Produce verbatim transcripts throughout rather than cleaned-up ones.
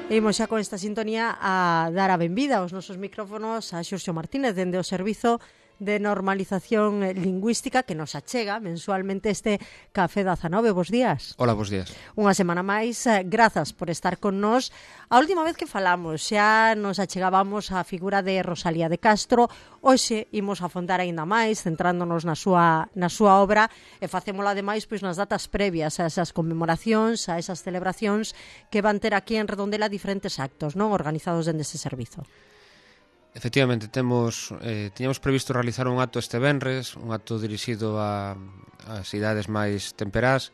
E imos xa con esta sintonía a dar a benvida aos nosos micrófonos a Xurxo Martínez dende o Servizo de Normalización Lingüística que nos achega mensualmente este Café dezanove. Bos días. Hola, bos días. Unha semana máis, grazas por estar con nós. A última vez que falamos xa nos achegábamos á figura de Rosalía de Castro. Hoxe imos afondar aínda máis, centrándonos na súa, na súa obra e facémola ademais pois, nas datas previas a esas conmemoracións, a esas celebracións que van ter aquí en Redondela diferentes actos, non, organizados dende ese servizo. Efectivamente, temos eh, tiñamos previsto realizar un acto este venres, un acto dirixido a, ás idades máis temperás,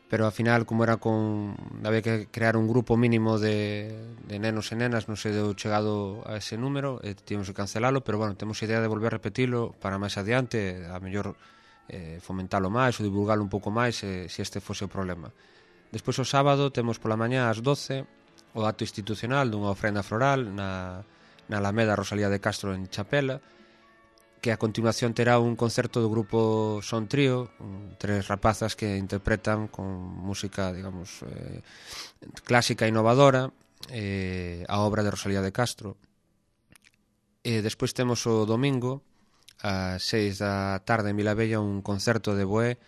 pero ao final, como era con había que crear un grupo mínimo de, de nenos e nenas, non se deu chegado a ese número, e tivemos que cancelalo, pero bueno, temos idea de volver a repetilo para máis adiante, a mellor eh, fomentalo máis ou divulgalo un pouco máis eh, se este fose o problema. Despois o sábado temos pola mañá ás doce o acto institucional dunha ofrenda floral na na Alameda Rosalía de Castro en Chapela, que a continuación terá un concerto do grupo Son Trío, tres rapazas que interpretan con música, digamos, eh, clásica e innovadora eh, a obra de Rosalía de Castro. E despois temos o domingo ás seis da tarde en Vilavella un concerto de Boé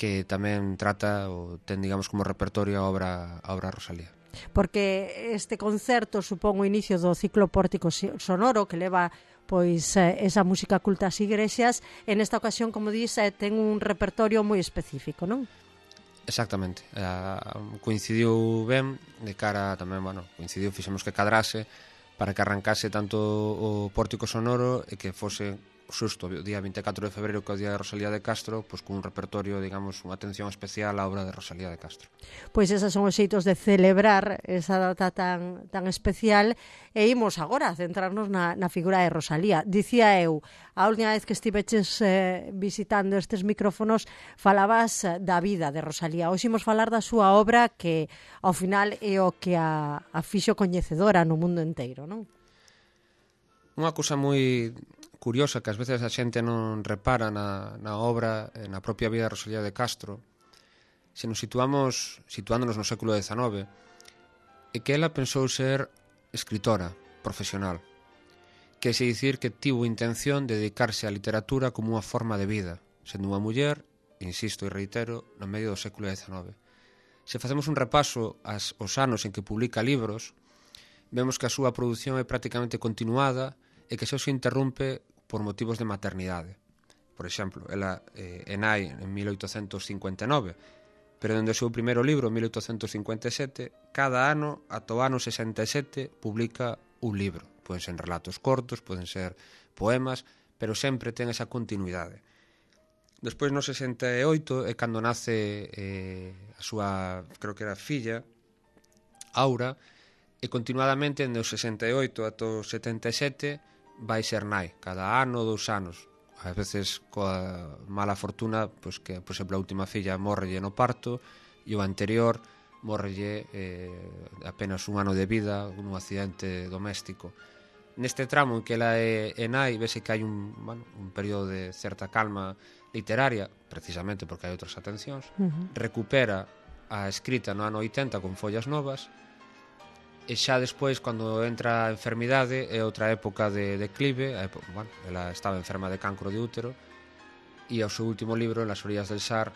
que tamén trata ou ten, digamos, como repertorio a obra, a obra Rosalía. Porque este concerto supón o inicio do ciclo Pórtico Sonoro que leva pois esa música culta ás igrexas. En esta ocasión, como dís, ten un repertorio moi específico, non? Exactamente. Uh, coincidiu ben de cara tamén, bueno, coincidiu, fixemos que cadrase para que arrancase tanto o Pórtico Sonoro e que fose xusto o día vinte e catro de febreiro, que é o día de Rosalía de Castro, pois cun repertorio, digamos, unha atención especial á obra de Rosalía de Castro. Pois esos son os xeitos de celebrar esa data tan, tan especial, e imos agora a centrarnos na, na figura de Rosalía. Dicía eu, a última vez que estiveches eh, visitando estes micrófonos, falabas da vida de Rosalía. Hoxe imos falar da súa obra, que ao final é o que a, a fixo coñecedora no mundo inteiro, non? Unha cousa moi curiosa que ás veces a xente non repara na, na obra, na propia vida de Rosalía de Castro, se nos situamos situándonos no século dezanove, é que ela pensou ser escritora profesional, que se dicir que tivo intención de dedicarse á literatura como unha forma de vida, sendo unha muller, insisto e reitero, no medio do século dezanove. Se facemos un repaso aos, aos anos en que publica libros, vemos que a súa produción é prácticamente continuada e que só se interrompe por motivos de maternidade. Por exemplo, ela eh, é nai en mil oitocentos cincuenta e nove, pero dende o seu primeiro libro, en mil oitocentos cincuenta e sete, cada ano, ata o ano sesenta e sete, publica un libro. Poden ser relatos cortos, poden ser poemas, pero sempre ten esa continuidade. Despois, no sesenta e oito, é cando nace eh, a súa, creo que era filla, Aura, e continuadamente, dende o sesenta e oito ata o setenta e sete, vai ser nai, cada ano, dous anos. A veces, coa mala fortuna, pois que, por exemplo, a última filla morrelle no parto e o anterior morrelle eh, apenas un ano de vida nun accidente doméstico. Neste tramo en que ela é, é nai, vese que hai un, bueno, un período de certa calma literaria, precisamente porque hai outras atencións, uh-huh. Recupera a escrita no ano oitenta con follas novas, e xa despois, cando entra a enfermidade, é outra época de declive. Época, bueno, ela estaba enferma de cancro de útero, e ao seu último libro, En las orillas del Sar,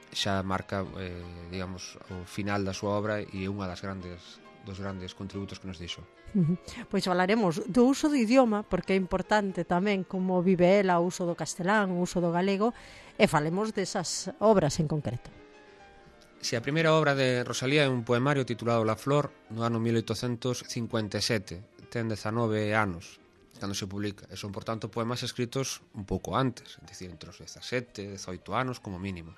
xa marca, eh, digamos, o final da súa obra e unha das grandes dos grandes contributos que nos dixo. Uh-huh. Pois falaremos do uso do idioma, porque é importante tamén como vive ela o uso do castelán, o uso do galego, e falemos desas obras en concreto. Si a primeira obra de Rosalía é un poemario titulado La Flor, no ano mil oitocentos cincuenta e sete, ten dezanove anos cando se publica, e son, por tanto, poemas escritos un pouco antes, é dicir, entre os dezasete, dezoito anos como mínimo.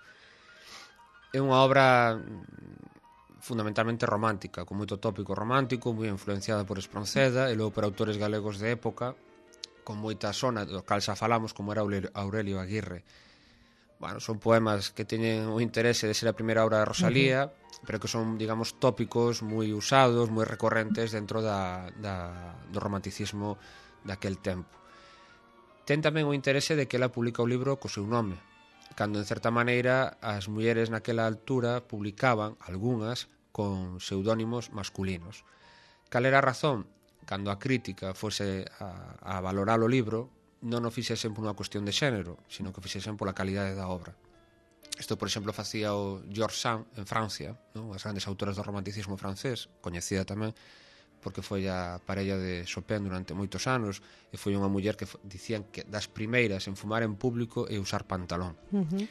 É unha obra fundamentalmente romántica, con moito tópico romántico, moi influenciada por Espronceda e logo por autores galegos de época, con moita sona, do cal xa falamos, como era Aurelio Aguirre. Bueno, son poemas que teñen o interese de ser a primeira obra de Rosalía, uh-huh. pero que son, digamos, tópicos moi usados, moi recorrentes dentro da, da, do romanticismo daquel tempo. Ten tamén o interese de que ela publica o libro co seu nome, cando, en certa maneira, as mulleres naquela altura publicaban, algunhas, con pseudónimos masculinos. Cal era a razón? Cando a crítica fose a, a valorar o libro, non o fixesen por unha cuestión de xénero, sino que o fixesen pola calidade da obra. Isto, por exemplo, facía o George Sand en Francia, non? As grandes autoras do romanticismo francés, coñecida tamén porque foi a parella de Chopin durante moitos anos, e foi unha muller que dicían que das primeiras en fumar en público e usar pantalón. Uh-huh.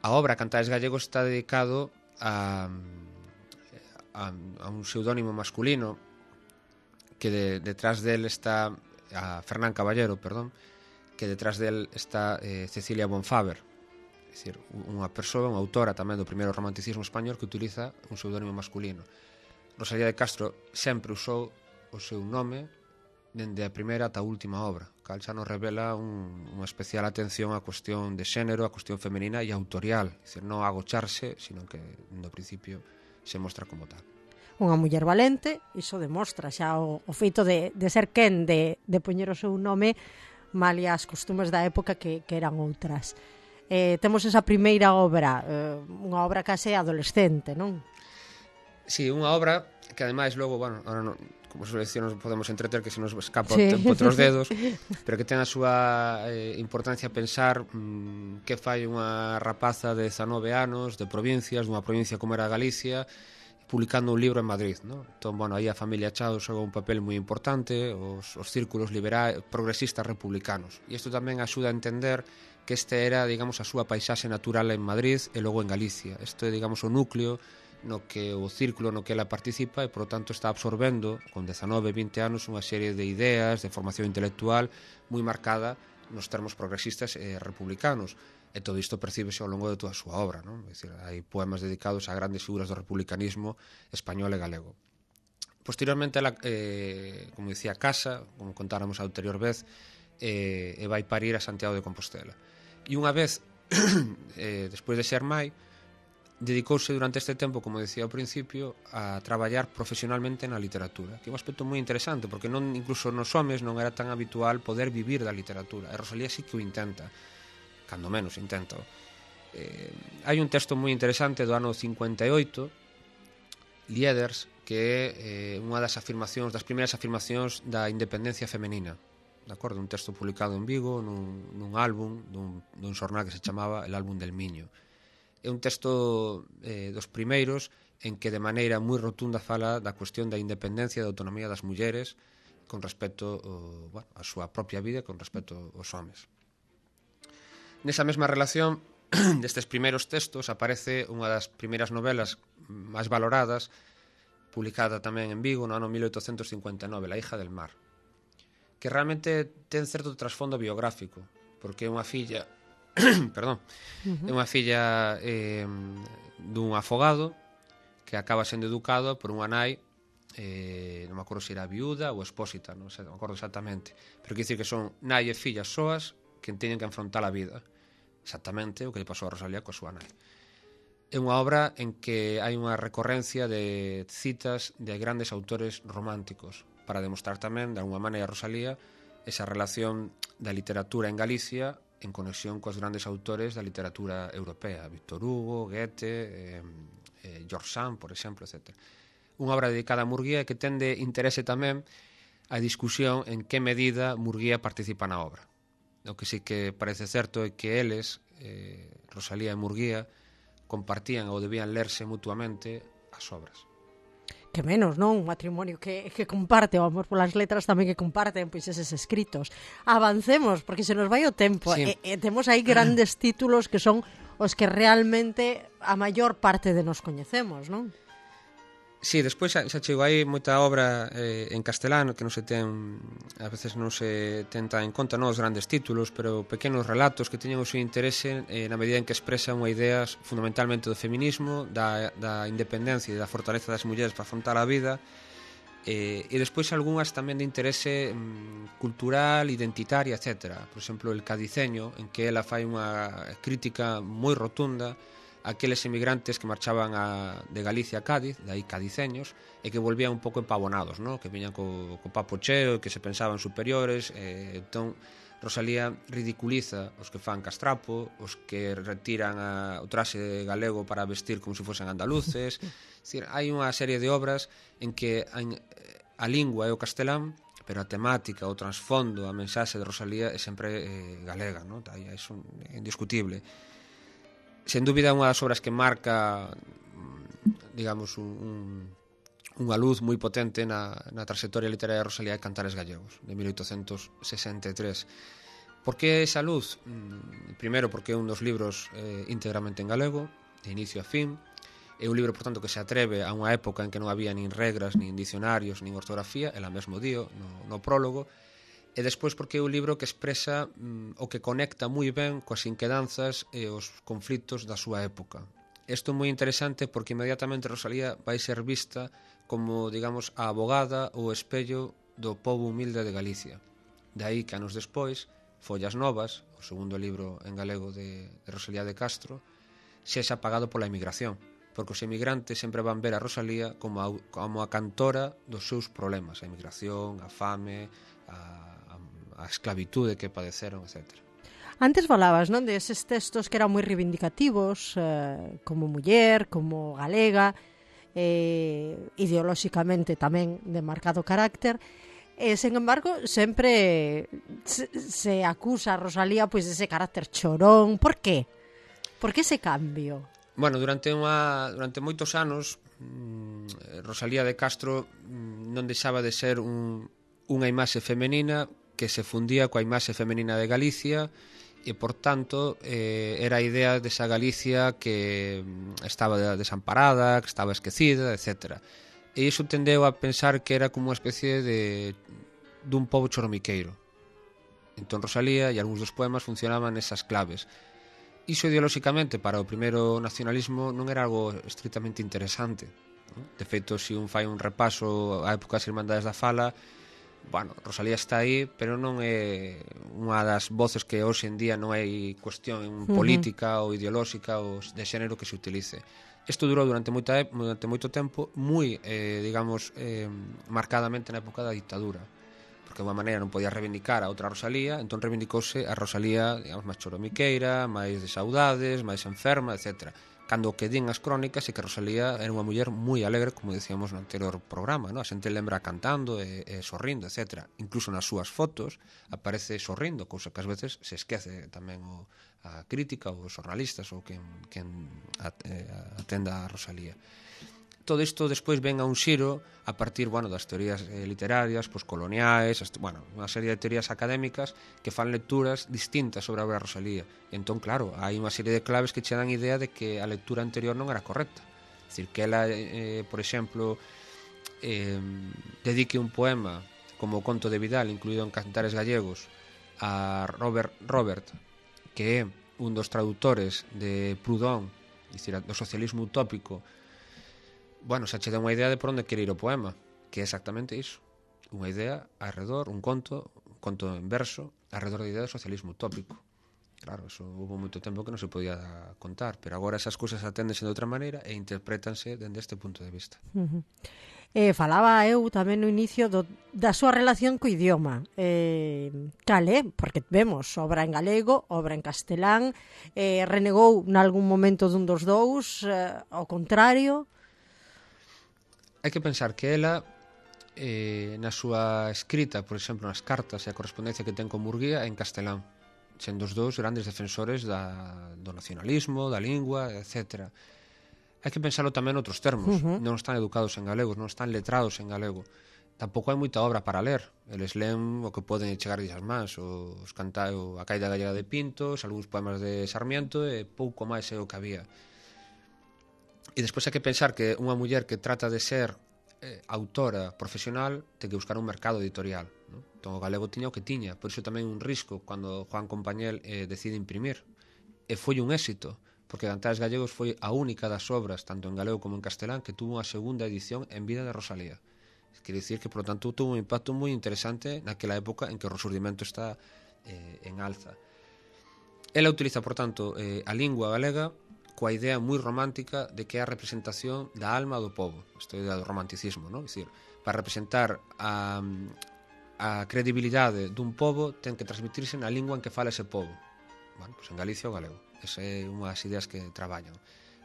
A obra Cantares Gallegos está dedicado a, a, a un pseudónimo masculino que de, detrás del está a Fernán Caballero, perdón, que detrás del está eh, Cecilia Bonfaber, é dicir, unha persoa, unha autora tamén do primeiro romanticismo español que utiliza un pseudónimo masculino. Rosalía de Castro sempre usou o seu nome dende a primeira ata a última obra, cal xa nos revela un, unha especial atención á cuestión de xénero, á cuestión femenina e autorial, é dicir, non agocharse, sino que no principio se mostra como tal. Unha muller valente, iso demostra xa o, o feito de, de ser quen de, de poñer o seu nome malia as costumes da época que, que eran outras. Eh, temos esa primeira obra, eh, unha obra case adolescente, non? Sí, unha obra que ademais logo, bueno, ahora non, como se decía, nos podemos entreter que se nos escapa sí. o tempo outros dedos, pero que ten a súa eh, importancia pensar mmm, que fai unha rapaza de dezanove anos, de provincias, dunha provincia como era Galicia, publicando un libro en Madrid, ¿no? Entón, bueno, aí a familia Chao xoga un papel moi importante, os, os círculos liberais, progresistas republicanos. E isto tamén axuda a entender que este era, digamos, a súa paisaxe natural en Madrid e logo en Galicia. Isto é, digamos, o núcleo no que o círculo no que ela participa e, por lo tanto, está absorbendo, con dezanove, vinte anos, unha serie de ideas, de formación intelectual moi marcada nos termos progresistas e republicanos. E todo isto percíbese ao longo de toda a súa obra, non? É dicir, hai poemas dedicados a grandes figuras do republicanismo español e galego. Posteriormente, ela, eh, como dicía, casa, como contáramos a anterior vez, eh, e vai parir a Santiago de Compostela. E unha vez, eh, despois de ser mai, dedicouse durante este tempo, como decía ao principio, a traballar profesionalmente na literatura, que é un aspecto moi interesante, porque non incluso nos homes non era tan habitual poder vivir da literatura. E Rosalía sí que o intenta, cando menos intento. Eh, hai un texto moi interesante do ano cincuenta e oito, Lieders, que é eh, unha das afirmacións, das primeiras afirmacións da independencia femenina. De acordo? Un texto publicado en Vigo, nun, nun álbum, dun, dun xornal que se chamaba El Álbum del Miño. É un texto eh, dos primeiros en que de maneira moi rotunda fala da cuestión da independencia e da autonomía das mulleres con respecto o, bueno, a súa propia vida e con respecto aos homes. Nesa mesma relación destes primeiros textos aparece unha das primeiras novelas máis valoradas, publicada tamén en Vigo no ano mil oitocentos cincuenta e nove, La hija del mar, que realmente ten certo trasfondo biográfico, porque é unha filla perdón, uh-huh. é unha filla eh, dun afogado que acaba sendo educado por unha nai, eh, non me acordo se era viuda ou expósita, non sei, non me acordo exactamente, pero quer dicir que son nai e fillas soas que teñen que enfrontar a vida, exactamente o que lle pasou a Rosalía coa súa nai. É unha obra en que hai unha recorrencia de citas de grandes autores románticos para demostrar tamén, de alguma maneira, a Rosalía esa relación da literatura en Galicia en conexión coas grandes autores da literatura europea, Víctor Hugo, Goethe, eh, eh, George Sand, por exemplo, etcétera. Unha obra dedicada a Murguía que tende interese tamén a discusión en que medida Murguía participa na obra. O que sí que parece certo é que eles, eh, Rosalía e Murguía, compartían ou debían lerse mutuamente as obras. Que menos, non? Un matrimonio que, que comparte, o amor polas letras tamén que comparten pois eses escritos. Avancemos, porque se nos vai o tempo. Sí. E, e temos aí grandes títulos que son os que realmente a maior parte de nos coñecemos, non? Sí, despois xa, xa chegou aí moita obra eh, en castelano que non se ten, a veces non se tenta en conta, non os grandes títulos, pero pequenos relatos que teñen o seu interese eh, na medida en que expresan unha ideas fundamentalmente do feminismo, da, da independencia e da fortaleza das mulleres para afrontar a vida, eh, e despois algunhas tamén de interese mm, cultural, identitaria, etcétera. Por exemplo, El Cadiceño, en que ela fai unha crítica moi rotunda aqueles emigrantes que marchaban a, de Galicia a Cádiz, de aí cadiceños, e que volvían un pouco empavonados, ¿no? Que viñan co, co papo cheo, que se pensaban superiores, eh, entón Rosalía ridiculiza os que fan castrapo, os que retiran a, o traxe galego para vestir como se fosen andaluces. É dicir, hai unha serie de obras en que a, a lingua é o castelán, pero a temática, o trasfondo, a mensaxe de Rosalía é sempre eh, galega, ¿no? É indiscutible. Sen dúbida, unha das obras que marca, digamos, un, un, unha luz moi potente na, na trayectoria literaria de Rosalía é Cantares Gallegos, de mil oitocentos sesenta e tres. Por que esa luz? Primeiro, porque é un dos libros eh, íntegramente en galego, de inicio a fin. É un libro, por tanto, que se atreve a unha época en que non había nin regras, nin dicionarios, nin ortografía, ela mesmo dio no, no prólogo. E despois porque é un libro que expresa mm, o que conecta moi ben coas inquedanzas e os conflitos da súa época. Isto é moi interesante porque inmediatamente Rosalía vai ser vista como, digamos, a abogada ou espello do pobo humilde de Galicia. De aí que anos despois, Follas Novas, o segundo libro en galego de, de Rosalía de Castro, sexa pagado pola emigración, porque os emigrantes sempre van ver a Rosalía como a, como a cantora dos seus problemas, a emigración, a fame, a, a, a esclavitude que padeceron, etcétera. Antes falabas, non, de eses textos que eran moi reivindicativos, eh, como muller, como galega, eh, ideolóxicamente tamén de marcado carácter. E, sen embargo, sempre se, se acusa a Rosalía pois dese carácter chorón. Por qué? Por que ese cambio? Bueno, durante unha durante moitos anos mmm, Rosalía de Castro mmm, non deixaba de ser un, unha imaxe femenina que se fundía coa imaxe femenina de Galicia e, por tanto, eh, era a idea desa Galicia que mmm, estaba desamparada, que estaba esquecida, etcétera. E iso tendeu a pensar que era como unha especie de dun pobo choromiqueiro. Entón Rosalía e algúns dos poemas funcionaban nesas claves. Iso ideolóxicamente para o primeiro nacionalismo non era algo estritamente interesante, ¿no? De feito, se un fai un repaso á época das Irmandades da Fala, bueno, Rosalía está aí, pero non é unha das voces que hoxe en día non hai cuestión política uh-huh. ou ideolóxica ou de xénero que se utilice. Isto durou durante, moita, durante moito tempo moi, eh, digamos, eh, marcadamente na época da dictadura, porque de unha maneira non podía reivindicar a outra Rosalía, entón reivindicouse a Rosalía, digamos, máis choromiqueira, máis de saudades, máis enferma, etcétera. Cando o que din as crónicas é que Rosalía era unha muller moi alegre, como decíamos no anterior programa, ¿no? A xente lembra cantando e, e sorrindo, etcétera. Incluso nas súas fotos aparece sorrindo, cousa que ás veces se esquece tamén o, a crítica ou os jornalistas ou quen, quen atenda a Rosalía. Todo isto despois ven a un xiro a partir, bueno, das teorías eh, literarias, poscoloniais, bueno, unha serie de teorías académicas que fan lecturas distintas sobre a obra de Rosalía. E entón, claro, hai unha serie de claves que che dan idea de que a lectura anterior non era correcta. É dicir, que ela, eh, por exemplo, eh, dedique un poema como o Conto de Vidal, incluído en Cantares Gallegos, a Robert, Robert que é un dos traductores de Proudhon, é dicir, do socialismo utópico. Bueno, xa che dá unha idea de por onde quere ir o poema, que é exactamente iso, unha idea arredor, un conto, un conto en verso, arredor da idea do socialismo utópico. Claro, eso houve moito tempo que non se podía contar, pero agora esas cousas aténdense de outra maneira e interprétanse dende este punto de vista. Uh-huh. Eh, falaba eu tamén no inicio do, da súa relación co idioma. Eh, cal é? Porque vemos obra en galego, obra en castelán, eh, renegou nalgún momento dun dos dous, eh, ao contrario. Hai que pensar que ela, eh, na súa escrita, por exemplo, nas cartas e a correspondencia que ten con Murguía, en castelán, sendo os dous grandes defensores da, do nacionalismo, da lingua, etcétera. Hai que pensarlo tamén en outros termos. Uh-huh. Non están educados en galego, non están letrados en galego. Tampouco hai moita obra para ler. Eles leen o que poden chegar as mans, os canta, a Caída Gallega de Pintos, algúns poemas de Sarmiento e pouco máis é o que había. E despois hai que pensar que unha muller que trata de ser eh, autora profesional ten que buscar un mercado editorial, ¿no? Entón o galego tiña o que tiña, por iso tamén un risco cando Juan Compañel eh, decide imprimir. E foi un éxito, porque Cantares Gallegos foi a única das obras, tanto en galego como en castelán, que tuvo unha segunda edición en vida de Rosalía. Quere dicir que, por lo tanto, tuvo un impacto moi interesante naquela época en que o resurdimento está eh, en alza. Ela utiliza, por tanto, eh, a lingua galega coa idea moi romántica de que é a representación da alma do povo, esta idea do romanticismo, ¿no? É dicir, para representar a, a credibilidade dun pobo ten que transmitirse na lingua en que fala ese pobo. Bueno, pois en Galicia o galego. Esa é unha das ideas que traballan.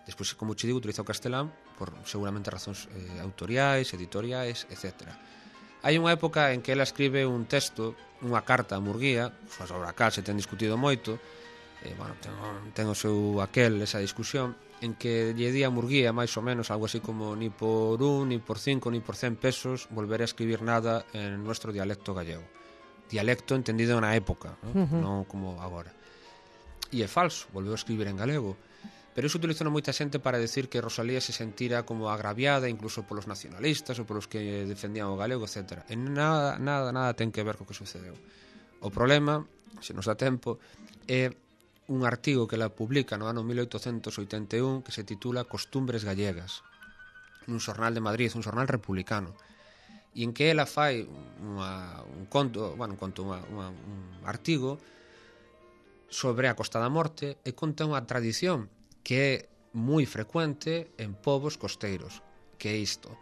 Despois, como che digo, utiliza o castelán por seguramente razóns eh, autoriais, editoriais, etcétera. Hai unha época en que ela escribe un texto, unha carta a Murguía, sobre a cal se ten discutido moito, eh, bueno, ten, ten o seu aquel, esa discusión, en que lle di a Murguía, máis ou menos, algo así como ni por un, ni por cinco, ni por cen pesos volveré a escribir nada en nuestro dialecto gallego. Dialecto entendido na época, ¿no? Uh-huh. Non como agora. E é falso, volveu a escribir en galego. Pero iso utilizou moita xente para decir que Rosalía se sentira como agraviada incluso polos nacionalistas ou polos que defendían o galego, etcétera. E nada, nada, nada ten que ver co que sucedeu. O problema, se nos dá tempo, é un artigo que ela publica no ano mil oitocentos oitenta e un que se titula Costumbres gallegas, nun xornal de Madrid, un xornal republicano, e en que ela fai unha, un conto, bueno, un conto, unha, unha, un artigo sobre a Costa da Morte e conta unha tradición que é moi frecuente en povos costeiros, que é isto: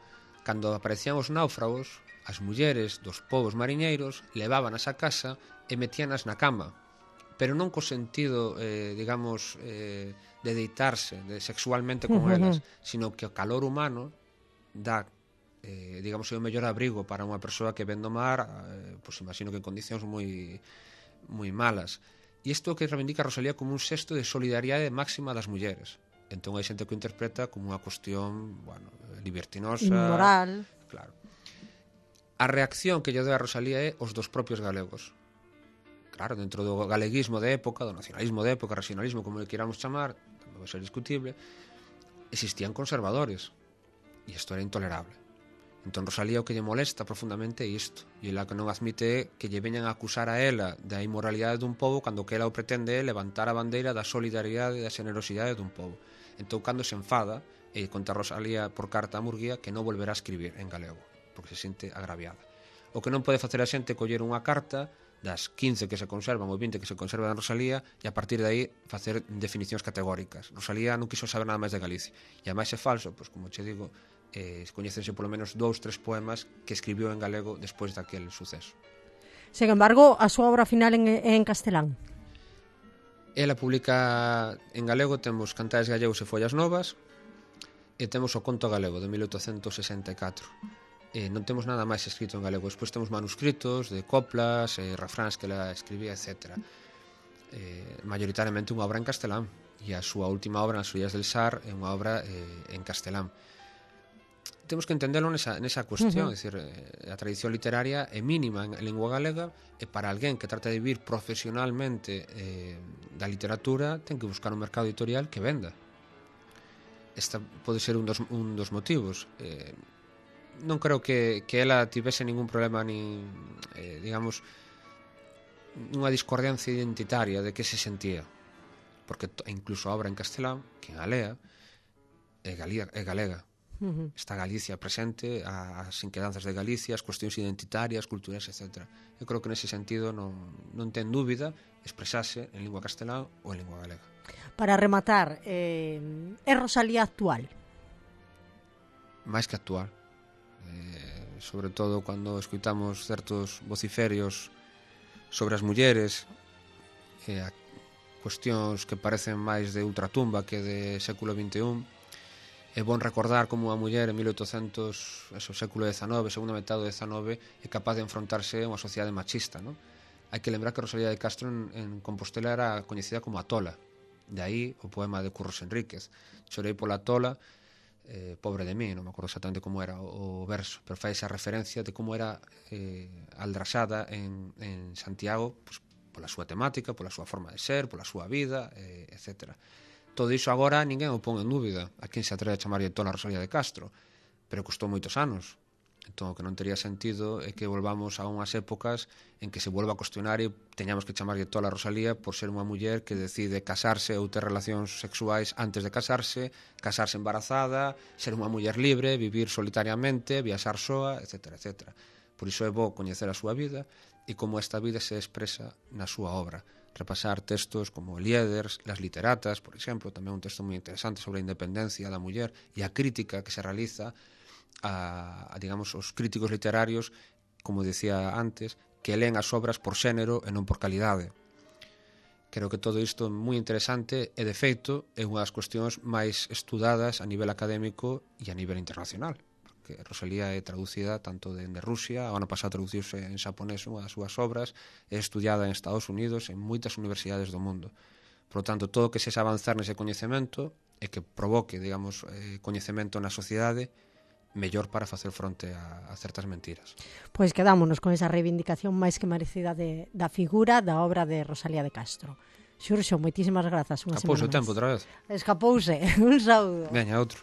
cando aparecían os náufragos, as mulleres dos povos mariñeiros levábanas a casa e metíanas na cama, pero non co sentido, eh, digamos, eh, de deitarse de sexualmente con uh-huh. elas, sino que o calor humano dá, eh, digamos, o mellor abrigo para unha persoa que ven do mar, eh, pois imagino que en condicións moi moi malas. E isto que reivindica Rosalía como un xesto de solidariedade máxima das mulleres. Entón hai xente que o interpreta como unha cuestión, bueno, libertinosa, inmoral. Claro. A reacción que lle deu a Rosalía é os dos propios galegos. Claro, dentro do galeguismo de época, do nacionalismo de época, regionalismo, como le queramos chamar, tamén vai ser discutible, existían conservadores. E isto era intolerable. Entón Rosalía o que lle molesta profundamente é isto, e ela que non admite é que lle veñan a acusar a ela da inmoralidade dun pobo cando que ela o pretende é levantar a bandeira da solidariedade e da generosidade dun pobo. Entón cando se enfada e conta Rosalía por carta a Murguía que non volverá a escribir en galego porque se sente agraviada. O que non pode facer a xente é coller unha carta das quince que se conservan ou vinte que se conservan en Rosalía e a partir de aí facer definicións categóricas. Rosalía non quiso saber nada máis de Galicia e ademais é falso, pois como che digo, eh, coñecense polo menos dous, tres poemas que escribiu en galego despois daquele suceso. Sen embargo, a súa obra final en, en castelán? Ela publica en galego, temos Cantares gallegos e Follas novas e temos o Conto galego de mil oitocentos sesenta e catro. E non temos nada máis escrito en galego. Despois temos manuscritos de coplas, eh, refráns que ela escribía, etcétera. Eh, mayoritariamente unha obra en castelán e a súa última obra, As Fillas del Sar, é unha obra eh, en castelán. Temos que entenderlo nesa, nesa cuestión, uh-huh. é dicir, a tradición literaria é mínima en lingua galega e para alguén que trata de vivir profesionalmente eh, da literatura ten que buscar un mercado editorial que venda. Esta pode ser un dos, un dos motivos. Eh, non creo que, que ela tivese ningún problema nin, eh, digamos, unha discordancia identitaria de que se sentía, porque incluso a obra en castelán, que a lea, é, galega, é galega. Uh-huh. Está Galicia presente, as inquedanzas de Galicia, as cuestións identitarias, culturais, etcétera. Eu creo que nese sentido non, non ten dúbida expresarse en lingua castelán ou en lingua galega. Para rematar, eh, é Rosalía actual? Máis que actual. Eh, sobre todo cando escuitamos certos vociferios sobre as mulleres, eh, cuestións que parecen máis de ultratumba que de século vinte e un. É bon recordar como a muller en mil oitocentos, eso, século dezanove, segunda metade do dezanove, é capaz de enfrontarse a unha sociedade machista, non? Hai que lembrar que Rosalía de Castro en, en Compostela era coñecida como a Tola. De aí o poema de Curros Enríquez. Chorei pola Tola, eh, pobre de mí, non me acordo exactamente como era o, o verso, pero fai esa referencia de como era eh, aldrasada en, en Santiago, pues, pola súa temática, pola súa forma de ser, pola súa vida, eh, etcétera. Todo iso agora ninguén o pon en dúbida. A quen se atreve a chamarlle tola a Rosalía de Castro, pero custou moitos anos. Entón, o que non tería sentido é que volvamos a unhas épocas en que se volva a cuestionar e teñamos que chamarlle tola a Rosalía por ser unha muller que decide casarse ou ter relacións sexuais antes de casarse, casarse embarazada, ser unha muller libre, vivir solitariamente, viaxar soa, etcétera, etcétera. Por iso é bo coñecer a súa vida e como esta vida se expresa na súa obra. Repasar textos como Eliéder, Las literatas, por exemplo, tamén un texto moi interesante sobre a independencia da muller e a crítica que se realiza a, a digamos, os críticos literarios como dicía antes, que leen as obras por xénero e non por calidade. Creo que todo isto é moi interesante e, de feito, é unha das cuestións máis estudadas a nivel académico e a nivel internacional. Que Rosalía é traducida tanto dende Rusia, o ano pasado traduciuse en xaponés unha das súas obras, é estudiada en Estados Unidos, en moitas universidades do mundo. Por lo tanto, todo o que sexa avanzar nese coñecemento e que provoque, digamos, eh, coñecemento na sociedade, mellor para facer fronte a, a certas mentiras. Pois quedámonos con esa reivindicación máis que merecida de, da figura da obra de Rosalía de Castro. Xurxo, moitísimas grazas. Unha Escapouse o semana tempo máis. outra vez. Escapouse. Un saúdo. Veña, outro.